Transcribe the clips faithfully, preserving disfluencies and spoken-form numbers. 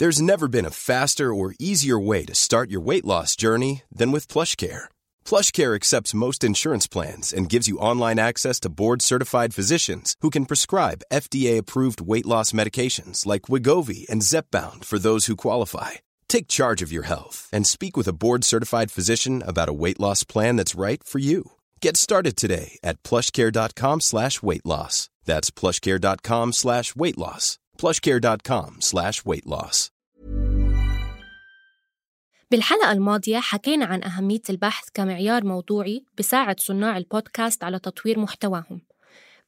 There's never been a faster or easier way to start your weight loss journey than with PlushCare. PlushCare accepts most insurance plans and gives you online access to board-certified physicians who can prescribe F D A-approved weight loss medications like Wegovy and Zepbound for those who qualify. Take charge of your health and speak with a board-certified physician about a weight loss plan that's right for you. Get started today at plushcare.com slash weight loss. That's plushcare.com slash weight loss. plushcare.com slash weight loss. بالحلقة الماضية حكينا عن أهمية البحث كمعيار موضوعي بساعد صناع البودكاست على تطوير محتواهم.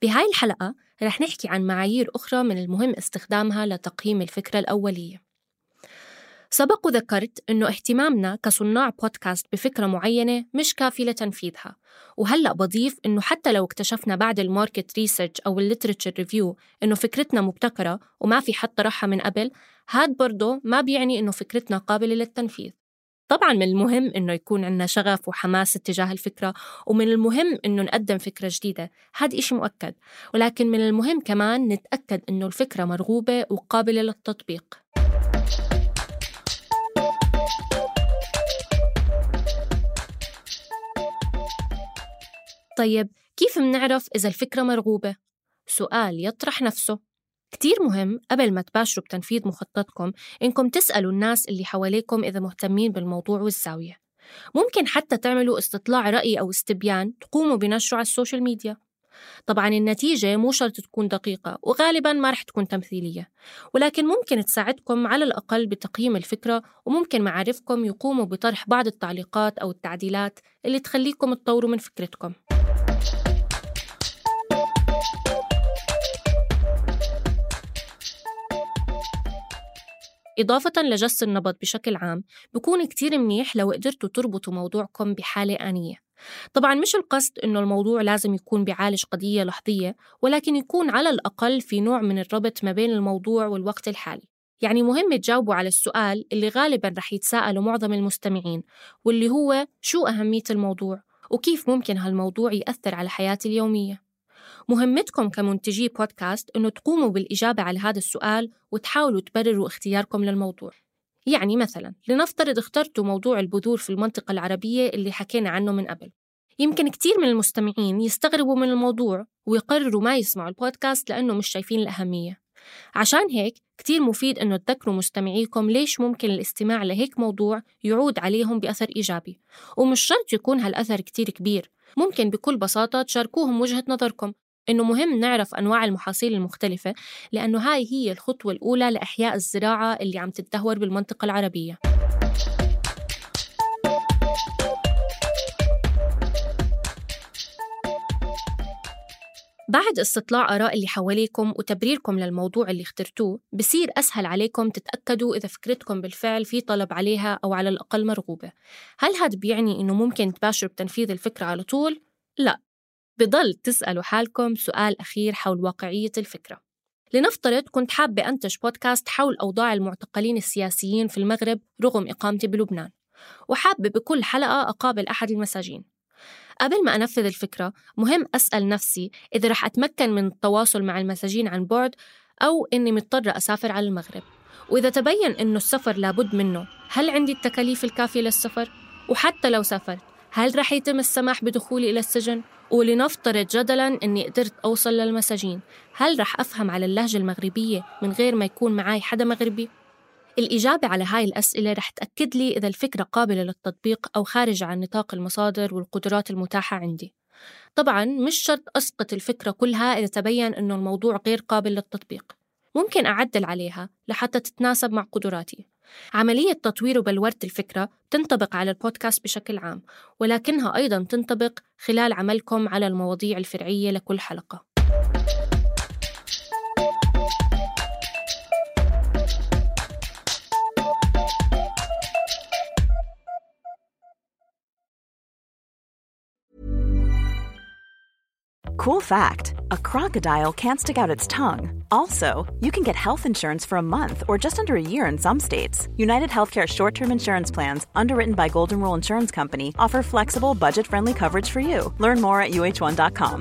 بهاي الحلقة رح نحكي عن معايير أخرى من المهم استخدامها لتقييم الفكرة الأولية. سبق وذكرت إنه اهتمامنا كصناع بودكاست بفكرة معينة مش كافي لتنفيذها، وهلأ بضيف إنه حتى لو اكتشفنا بعد الماركت ريسيرش أو الليتريتشر ريفيو إنه فكرتنا مبتكرة وما في حد طرحها من قبل، هاد برضو ما بيعني إنه فكرتنا قابلة للتنفيذ. طبعاً من المهم إنه يكون عنا شغف وحماس اتجاه الفكرة، ومن المهم إنه نقدم فكرة جديدة، هاد إشي مؤكد، ولكن من المهم كمان نتأكد إنه الفكرة مرغوبة وقابلة للتطبيق. طيب كيف منعرف إذا الفكرة مرغوبة؟ سؤال يطرح نفسه. كتير مهم قبل ما تباشروا بتنفيذ مخططكم إنكم تسألوا الناس اللي حواليكم إذا مهتمين بالموضوع والزاوية. ممكن حتى تعملوا استطلاع رأي أو استبيان تقوموا بنشره على السوشيال ميديا. طبعاً النتيجة مو شرط تكون دقيقة وغالباً ما رح تكون تمثيلية، ولكن ممكن تساعدكم على الأقل بتقييم الفكرة، وممكن معارفكم يقوموا بطرح بعض التعليقات أو التعديلات اللي تخليكم تطوروا من فكرتكم. إضافة لجس النبض بشكل عام، بيكون كتير منيح لو قدرتوا تربطوا موضوعكم بحالة آنية. طبعاً مش القصد إنه الموضوع لازم يكون بيعالج قضية لحظية، ولكن يكون على الأقل في نوع من الربط ما بين الموضوع والوقت الحالي. يعني مهم تجاوبوا على السؤال اللي غالباً رح يتساءلوا معظم المستمعين، واللي هو شو أهمية الموضوع وكيف ممكن هالموضوع يأثر على حياتي اليومية. مهمتكم كمنتجي بودكاست إنه تقوموا بالإجابة على هذا السؤال وتحاولوا تبرروا اختياركم للموضوع. يعني مثلاً لنفترض اخترتوا موضوع البذور في المنطقة العربية اللي حكينا عنه من قبل. يمكن كتير من المستمعين يستغربوا من الموضوع ويقرروا ما يسمعوا البودكاست لأنه مش شايفين الأهمية. عشان هيك كتير مفيد إنه تذكروا مستمعيكم ليش ممكن الاستماع لهيك موضوع يعود عليهم بأثر إيجابي، ومش شرط يكون هالأثر كتير كبير. ممكن بكل بساطة تشاركوهم وجهة نظركم إنه مهم نعرف أنواع المحاصيل المختلفة، لأنه هاي هي الخطوة الأولى لإحياء الزراعة اللي عم تتدهور بالمنطقة العربية. بعد استطلاع آراء اللي حواليكم وتبريركم للموضوع اللي اخترتوه، بصير أسهل عليكم تتأكدوا إذا فكرتكم بالفعل في طلب عليها أو على الأقل مرغوبة. هل هذا بيعني إنه ممكن تباشروا بتنفيذ الفكرة على طول؟ لا، بضل تسألوا حالكم سؤال أخير حول واقعية الفكرة. لنفترض كنت حابة أنتج بودكاست حول أوضاع المعتقلين السياسيين في المغرب رغم إقامتي بلبنان، وحابة بكل حلقة أقابل أحد المساجين. قبل ما أنفذ الفكرة مهم أسأل نفسي إذا رح أتمكن من التواصل مع المساجين عن بعد أو إني مضطرة أسافر على المغرب، وإذا تبين إنه السفر لابد منه هل عندي التكاليف الكافية للسفر؟ وحتى لو سافرت هل رح يتم السماح بدخولي إلى السجن؟ ولنفترض جدلاً أني قدرت أوصل للمساجين، هل رح أفهم على اللهجة المغربية من غير ما يكون معاي حدا مغربي؟ الإجابة على هاي الأسئلة رح تأكد لي إذا الفكرة قابلة للتطبيق أو خارج عن نطاق المصادر والقدرات المتاحة عندي. طبعاً مش شرط أسقط الفكرة كلها إذا تبين أنه الموضوع غير قابل للتطبيق، ممكن أعدل عليها لحتى تتناسب مع قدراتي. عملية تطوير وبلورة الفكرة تنطبق على البودكاست بشكل عام، ولكنها أيضاً تنطبق خلال عملكم على المواضيع الفرعية لكل حلقة. Cool fact, a crocodile can't stick out its tongue. Also, you can get health insurance for a month or just under a year in some states. United Healthcare short-term insurance plans, underwritten by Golden Rule Insurance Company, offer flexible, budget-friendly coverage for you. Learn more at U H one dot com.